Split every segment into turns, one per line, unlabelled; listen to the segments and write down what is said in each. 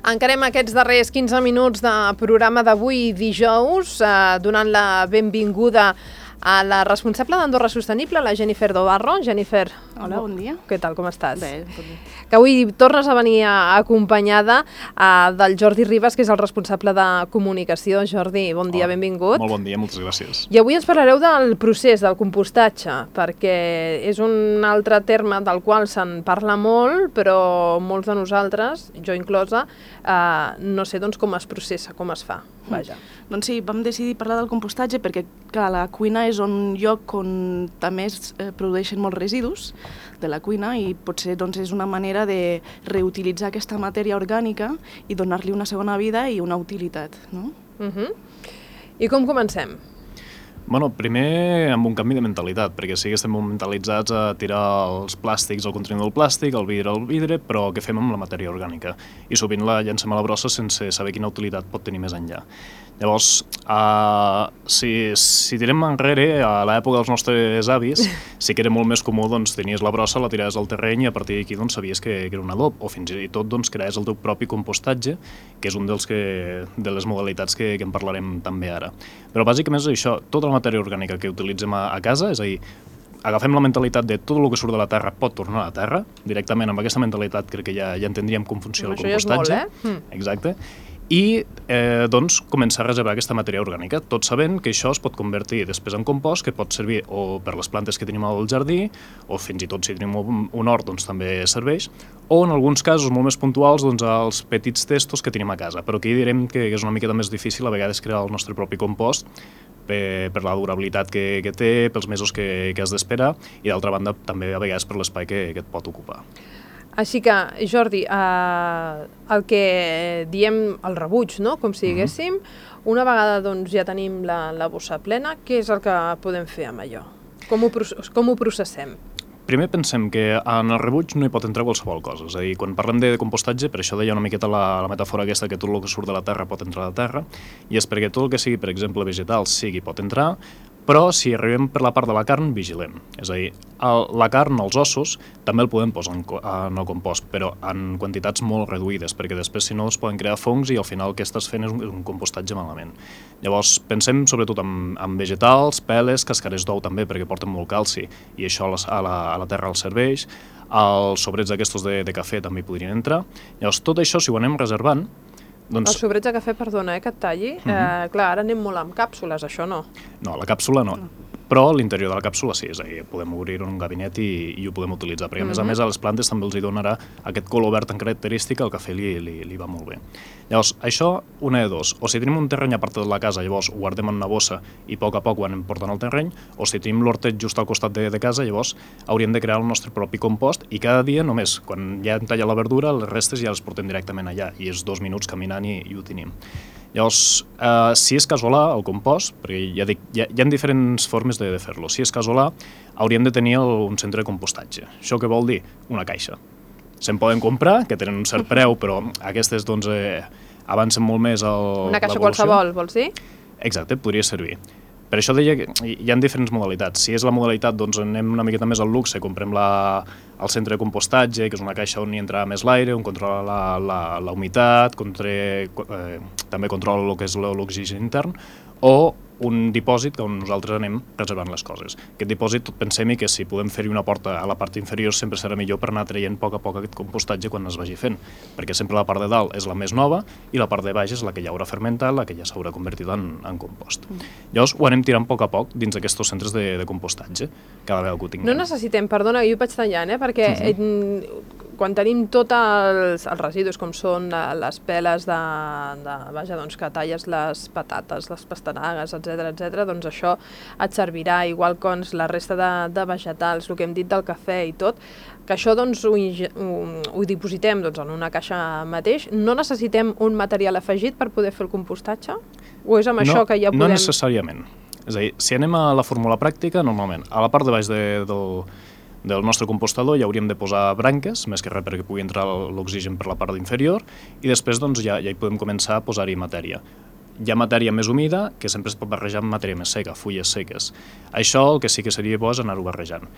Encarem aquests darrers 15 minuts de programa d'avui dijous, donant la benvinguda a la responsable d'Andorra Sostenible, la Jennifer Dobarro. Jennifer,
hola, bon dia.
Què tal, com estàs?
Bé, tot bé.
Que avui tornes a venir acompanyada del Jordi Ribas, que és el responsable de comunicació. Jordi, bon dia, benvingut.
Molt bon dia, moltes gràcies.
I avui ens parlareu del procés del compostatge, perquè és un altre terme del qual se'n parla molt, però molts de nosaltres, jo inclosa, no sé doncs, com es processa, com es fa. Vaja.
Doncs sí, vam decidir parlar del compostatge perquè la cuina és un lloc on també es produeixen molts residus de la cuina i potser doncs, és una manera de reutilitzar aquesta matèria orgànica i donar-li una segona vida i una utilitat. No?
I com comencem?
Bueno, primer amb un canvi de mentalitat, perquè sí que estem mentalitzats a tirar els plàstics al contenidor del plàstic, el vidre, però què fem amb la matèria orgànica? I sovint la llancem a la brossa sense saber quina utilitat pot tenir més enllà. Llavors, si tirem enrere, a l'època dels nostres avis, sí que era molt més comú, doncs, tenies la brossa, la tiraves al terreny i a partir d'aquí doncs, sabies que era un adob, o fins i tot doncs, creaves el teu propi compostatge, que és un de les modalitats que en parlarem també ara. Però bàsicament és això, tota la matèria orgànica que utilitzem a casa, és a dir, agafem la mentalitat de tot el que surt de la terra pot tornar a la terra, directament amb aquesta mentalitat crec que ja entendríem com funciona el compostatge.
Això és molt,
Exacte. I doncs començar a reservar aquesta matèria orgànica, tot sabent que això es pot convertir després en compost, que pot servir o per les plantes que tenim al jardí, o fins i tot si tenim un hort doncs també serveix, o en alguns casos molt més puntuals doncs als petits testos que tenim a casa, però aquí direm que és una miqueta més difícil a vegades crear el nostre propi compost per la durabilitat que té, pels mesos que has d'esperar i d'altra banda també a vegades per l'espai que et pot ocupar.
Així que, Jordi, el que diem el rebuig, no? Com si diguéssim, una vegada doncs, ja tenim la bossa plena, què és el que podem fer amb allò? Com ho processem?
Primer pensem que en el rebuig no hi pot entrar qualsevol cosa, és a dir, quan parlem de compostatge, per això deia una miqueta la metàfora aquesta que tot el que surt de la terra pot entrar a la terra, i és perquè tot el que sigui, per exemple, vegetal, pot entrar, però si arribem per la part de la carn, vigilem. És a dir, la carn, els ossos, també el podem posar en el compost, però en quantitats molt reduïdes, perquè després, si no, es poden crear fongs i al final el que estàs fent és un compostatge malament. Llavors, pensem sobretot en vegetals, peles, cascares d'ou també, perquè porten molt calci, i això a la terra els serveix. Els sobrets d'aquestos de cafè també hi podrien entrar. Llavors, tot això, si ho anem reservant, doncs...
Els sobrets de cafè, perdona, que et talli. Clar, ara anem molt amb càpsules, això no.
No, la càpsula no. Però l'interior de la càpsula sí, és a dir, podem obrir un gabinet i ho podem utilitzar, perquè a més a les plantes també els hi donarà aquest color verd tan característic, el cafè li va molt bé. Llavors, això, una de dos, o si tenim un terreny a part de la casa, llavors ho guardem en una bossa i a poc ho anem portant al terreny, o si tenim l'hortet just al costat de casa, llavors hauríem de crear el nostre propi compost i cada dia només, quan ja hem tallat la verdura, les restes ja les portem directament allà i és 2 minuts caminant i ho tenim. Llavors, si és casolà, el compost, perquè ja dic, hi ha diferents formes de fer-lo. Si és casolà, hauríem de tenir un centre de compostatge. Això què vol dir? Una caixa. Se'n poden comprar, que tenen un cert preu, però aquestes doncs, avancen molt més l'evolució.
Una caixa qualsevol, vols dir?
Exacte, podria servir. Per això deia que hi ha diferents modalitats. Si és la modalitat, doncs anem una miqueta més al luxe, comprem el centre de compostatge, que és una caixa on hi entra més l'aire, on controla la humitat, també controla el que és l'oxigen intern, o un dipòsit on nosaltres anem reservant les coses. Aquest dipòsit, tot pensem que si podem fer-hi una porta a la part inferior sempre serà millor per anar traient a poc aquest compostatge quan es vagi fent, perquè sempre la part de dalt és la més nova i la part de baix és la que ja haurà fermentat, la que ja s'haurà convertit en compost. Llavors ho anem tirant a poc dins d'aquests centres de compostatge, cada vegada que ho tinguem.
No necessitem, perdona, jo ho vaig tallant, perquè quan tenim tots els residus, com són les peles que talles les patates, les pastanagues, etc., doncs això et servirà, igual com la resta de vegetals, el que hem dit del cafè i tot, que això doncs ho dipositem en una caixa mateix. No necessitem un material afegit per poder fer el compostatge? O és amb això que ja podem...
No necessàriament. És a dir, si anem a la fórmula pràctica, normalment, a la part de baix del nostre compostador ja hauríem de posar branques, més que res perquè pugui entrar l'oxigen per la part inferior, i després doncs, ja hi podem començar a posar-hi matèria. hi ha matèria més humida que sempre es pot barrejar amb matèria més seca, fulles seques. Això el que sí que seria bo és anar-ho barrejant.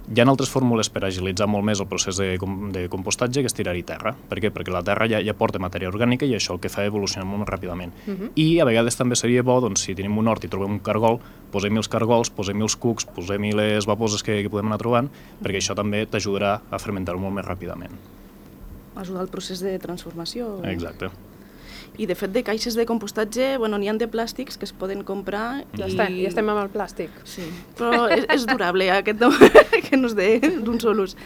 Hi ha altres fórmules per agilitzar molt més el procés de compostatge, que és tirar-hi terra. Per què? Perquè la terra ja porta matèria orgànica i això el que fa evolucionar molt més ràpidament. I a vegades també seria bo, doncs, si tenim un hort i trobem un cargol, posem-hi els cargols, posem-hi els cucs, posem-hi les baboses que podem anar trobant, perquè això també t'ajudarà a fermentar-ho molt més ràpidament.
Ajudar al procés de transformació.
Exacte.
I de fet de caixes de compostatge, n'hi ha de plàstics que es poden comprar.
Ja estem amb el plàstic.
Sí, però és durable, aquest no, que no és d'un sol ús.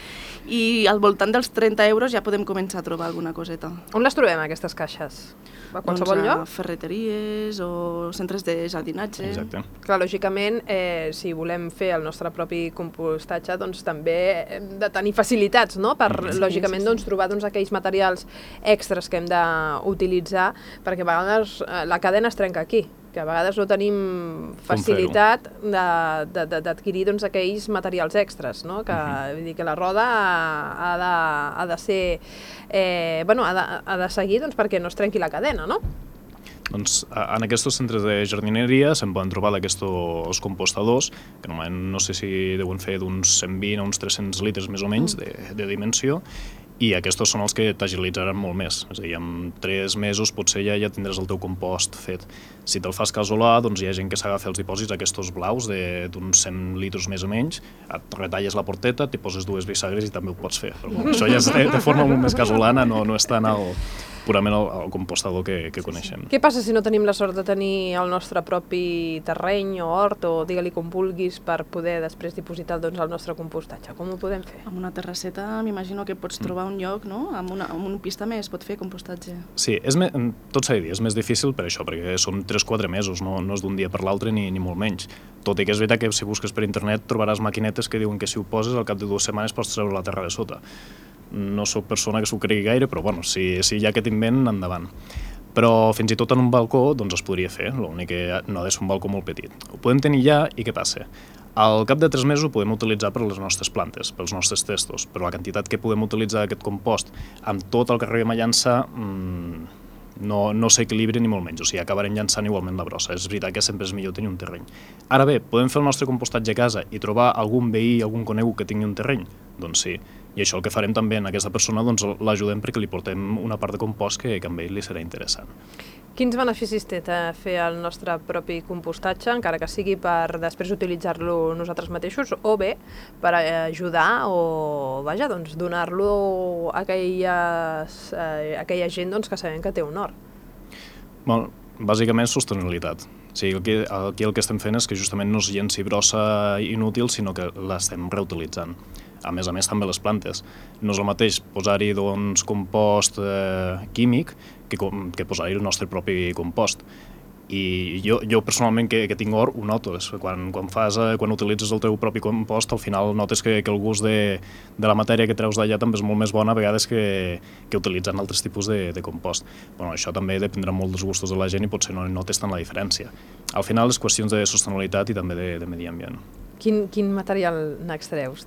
I al voltant dels 30 euros ja podem començar a trobar alguna coseta.
On les trobem, aquestes caixes? A qualsevol lloc?
A ferreteries o centres de jardinatge.
Exacte.
Clar, lògicament, si volem fer el nostre propi compostatge, doncs també hem de tenir facilitats, no? Per, lògicament, doncs, trobar aquells materials extras que hem d'utilitzar, perquè a vegades la cadena es trenca aquí, que a vegades no tenim facilitat d'adquirir aquells materials extras, no? Vull dir que la roda ha de ser, ha de seguir perquè no es trenqui la cadena, no?
Doncs en aquests centres de jardineria se'n poden trobar d'aquests compostadors, que normalment no sé si deuen fer d'uns 120 a uns 300 litres més o menys de dimensió, i aquests són els que t'agilitzaran molt més. És a dir, en 3 mesos potser ja tindràs el teu compost fet. Si te'l fas casolà, doncs hi ha gent que s'agafa els dipòsits aquests blaus d'uns 100 litres més o menys, et retalles la porteta, t'hi poses 2 bisagres i també ho pots fer. Però això ja és de forma molt més casolana, no és tan purament el compostador que coneixem.
Què passa si no tenim la sort de tenir el nostre propi terreny o hort, o digue-li com vulguis, per poder després dipositar el nostre compostatge? Com ho podem fer?
Amb una terrasseta m'imagino que pots trobar un lloc, no? Amb un pis també es pot fer compostatge.
Sí, tot s'ha de dir, és més difícil per això, perquè són 3-4 mesos, no és d'un dia per l'altre ni molt menys. Tot i que és veritat que si busques per internet trobaràs maquinetes que diuen que si ho poses al cap de 2 setmanes pots treure la terra de sota. No sóc persona que s'ho cregui gaire, però bueno, si hi ha aquest invent, endavant. Però fins i tot en un balcó doncs es podria fer, l'únic que no ha de ser un balcó molt petit. Ho podem tenir ja i què passa? Al cap de 3 mesos ho podem utilitzar per les nostres plantes, pels nostres testos, però la quantitat que podem utilitzar aquest compost amb tot el que arribem a llançar no s'equilibri ni molt menys, o sigui, acabarem llançant igualment la brossa. És veritat que sempre és millor tenir un terreny. Ara bé, podem fer el nostre compostatge a casa i trobar algun veí, algun conegut que tingui un terreny? Doncs sí, i això el que farem també en aquesta persona, doncs l'ajudem perquè li portem una part de compost que a ell li serà interessant.
Quins beneficis té fer el nostre propi compostatge, encara que sigui per després utilitzar-lo nosaltres mateixos, o bé per ajudar o, vaja, doncs donar-lo a aquella gent que sabem que té un hort?
Bueno, bàsicament sostenibilitat. O sigui, aquí el que estem fent és que justament no es llenci brossa inútil, sinó que l'estem reutilitzant. A més també les plantes. No és el mateix posar-hi compost químic que posar-hi el nostre propi compost. I jo personalment que tinc hort ho noto. Quan utilitzes el teu propi compost, al final notes que el gust de la matèria que treus d'allà també és molt més bona a vegades que utilitzant altres tipus de compost. Bueno, això també dependrà molt dels gustos de la gent i potser no notes tant la diferència. Al final és qüestions de sostenibilitat i també de medi ambient.
Quin material n'extreus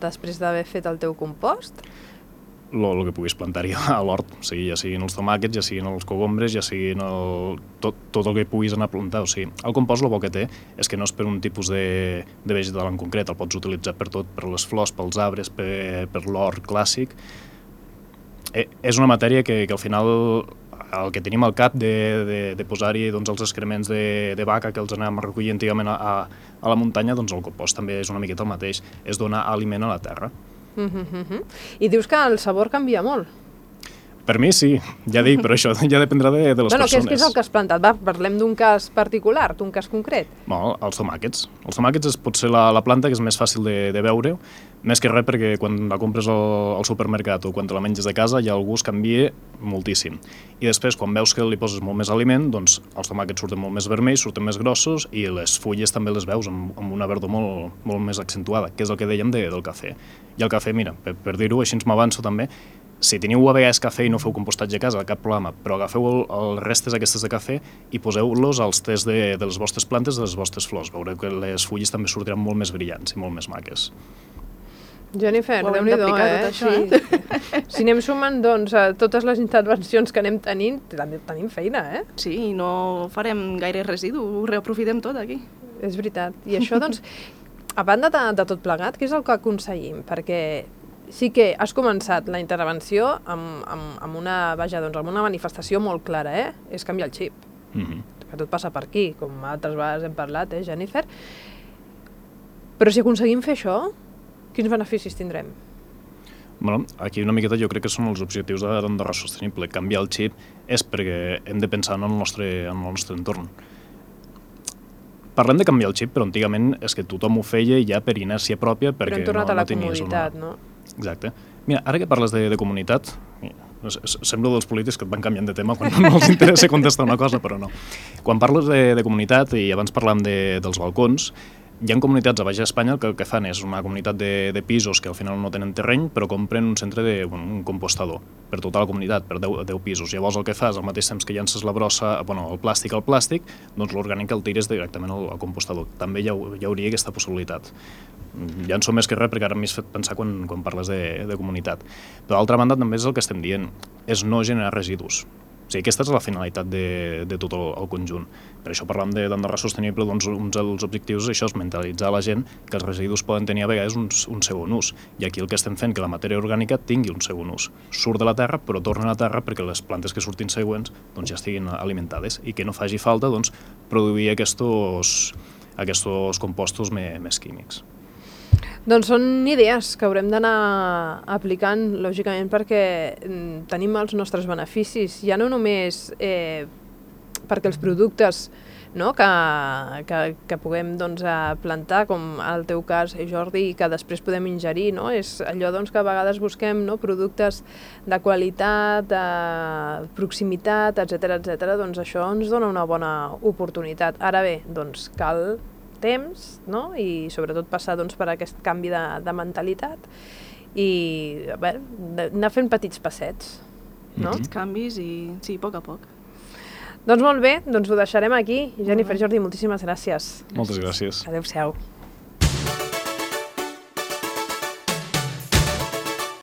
després d'haver fet el teu compost?
El que puguis plantar-hi a l'hort, ja siguin els tomàquets, ja siguin els cogombres, ja siguin tot el que puguis anar a plantar. O sigui, el compost el bo que té és que no és per un tipus de vegetal en concret, el pots utilitzar per tot, per les flors, pels arbres, per l'hort clàssic. És una matèria que al final el que tenim al cap de posar-hi els excrements de vaca que els anàvem a recollir antigament a la muntanya, doncs el compost també és una miqueta el mateix, és donar aliment a la terra.
I dius que el sabor canvia molt.
Per mi sí, ja dic, però això ja dependrà de les persones.
Què és el que has plantat? Va, parlem d'un cas particular, d'un cas concret.
Bueno, els tomàquets. Els tomàquets és potser la planta que és més fàcil de veure, més que res perquè quan la compres al supermercat o quan te la menges de casa ja el gust canvia moltíssim. I després, quan veus que li poses molt més aliment, doncs els tomàquets surten molt més vermells, surten més grossos i les fulles també les veus amb una verdor molt més accentuada, que és el que dèiem del cafè. I el cafè, mira, per dir-ho, així m'avanço també, si teniu a vegades cafè i no feu compostatge a casa, cap problema, però agafeu els restes aquestes de cafè i poseu-los als tests de les vostres plantes, de les vostres flors. Veureu que les fulles també sortiran molt més brillants i molt més maques.
Jennifer,
Ho haurem
Déu-n'hi-do,
d'aplicar tot això,
Sí. Si anem sumant, doncs, a totes les intervencions que anem tenint, tenim feina,
Sí, i no farem gaire residu, ho reaprofitem tot aquí.
És veritat. I això, doncs, a banda de tot plegat, què és el que aconseguim? Perquè sí que has començat la intervenció amb una manifestació molt clara, és canviar el xip. Que tot passa per aquí, com altres vegades hem parlat, Jennifer? Però si aconseguim fer això, quins beneficis tindrem?
Bueno, aquí una miqueta jo crec que són els objectius d'Andorra Sostenible. Canviar el xip és perquè hem de pensar en el nostre entorn. Parlem de canviar el xip, però antigament és que tothom ho feia ja per inèrcia pròpia, perquè
però hem tornat a la comoditat, no?
Exacte. Mira, ara que parles de comunitat, sembla dels polítics que et van canviant de tema quan no els interessa contestar una cosa, però no. Quan parles de comunitat, i abans parlàvem dels balcons, hi ha comunitats a Baix Espanya que el que fan és una comunitat de pisos que al final no tenen terreny, però compren un centre un compostador per tota la comunitat, per 10 pisos. Llavors el que fas, al mateix temps que llences la brossa, el plàstic al plàstic, doncs l'orgànic el tires directament al compostador. També hi hauria aquesta possibilitat. Ja en som més que res, perquè ara m'he fet pensar quan parles de comunitat. Però d'altra banda també és el que estem dient, és no generar residus. O sigui, aquesta és la finalitat de tot el conjunt. Per això parlam d'Andorra Sostenible, doncs un dels objectius això és mentalitzar la gent que els residus poden tenir a vegades un segon ús. I aquí el que estem fent que la matèria orgànica tingui un segon ús. Surt de la terra, però torna a la terra perquè les plantes que surtin següents doncs, ja estiguin alimentades i que no faci falta doncs, produir aquests compostos més químics.
Doncs són idees que haurem d'anar aplicant, lògicament, perquè tenim els nostres beneficis, ja no només perquè els productes que puguem plantar, com el teu cas, Jordi, i que després podem ingerir, és allò que a vegades busquem productes de qualitat, de proximitat, etcètera, doncs això ens dona una bona oportunitat. Ara bé, doncs cal temps, i sobretot passar per aquest canvi de mentalitat i anar fent petits passets.
Petits canvis i sí, a poc a poc.
Doncs molt bé, doncs ho deixarem aquí. Jennifer, Jordi, moltíssimes gràcies.
Moltes gràcies.
Adéu-siau.